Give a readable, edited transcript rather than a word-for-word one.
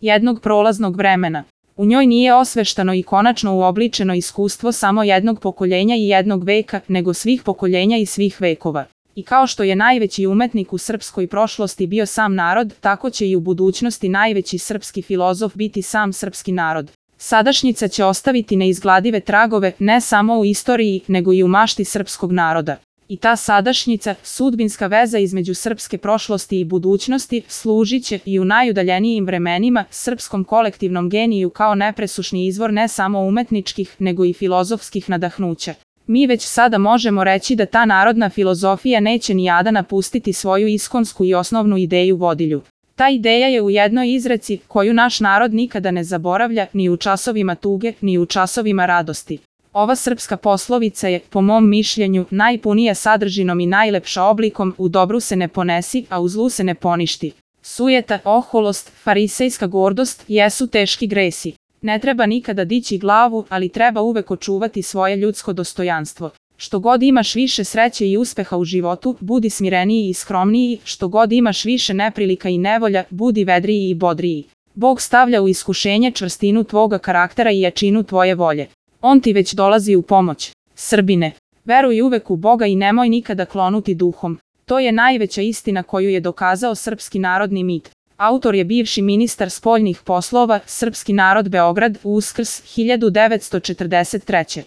jednog prolaznog vremena. U njoj nije osveštano i konačno uobličeno iskustvo samo jednog pokoljenja i jednog veka, nego svih pokoljenja i svih vekova. I kao što je najveći umetnik u srpskoj prošlosti bio sam narod, tako će i u budućnosti najveći srpski filozof biti sam srpski narod. Sadašnjica će ostaviti neizgladive tragove ne samo u istoriji, nego i u mašti srpskog naroda. I ta sadašnjica, sudbinska veza između srpske prošlosti i budućnosti, služit će i u najudaljenijim vremenima srpskom kolektivnom geniju kao nepresušni izvor ne samo umetničkih, nego i filozofskih nadahnuća. Mi već sada možemo reći da ta narodna filozofija neće nijada napustiti svoju iskonsku i osnovnu ideju vodilju. Ta ideja je u jednoj izreci koju naš narod nikada ne zaboravlja, ni u časovima tuge, ni u časovima radosti. Ova srpska poslovica je, po mom mišljenju, najpunija sadržinom i najlepša oblikom: u dobru se ne ponesi, a u zlu se ne poništi. Sujeta, oholost, farisejska gordost jesu teški gresi. Ne treba nikada dići glavu, ali treba uvek očuvati svoje ljudsko dostojanstvo. Što god imaš više sreće i uspeha u životu, budi smireniji i skromniji, što god imaš više neprilika i nevolja, budi vedriji i bodriji. Bog stavlja u iskušenje čvrstinu tvoga karaktera i jačinu tvoje volje. On ti već dolazi u pomoć. Srbine, veruj uvek u Boga i nemoj nikada klonuti duhom. To je najveća istina koju je dokazao srpski narodni mit. Autor je bivši ministar spoljnih poslova, Srpski narod Beograd, Uskrs, 1943.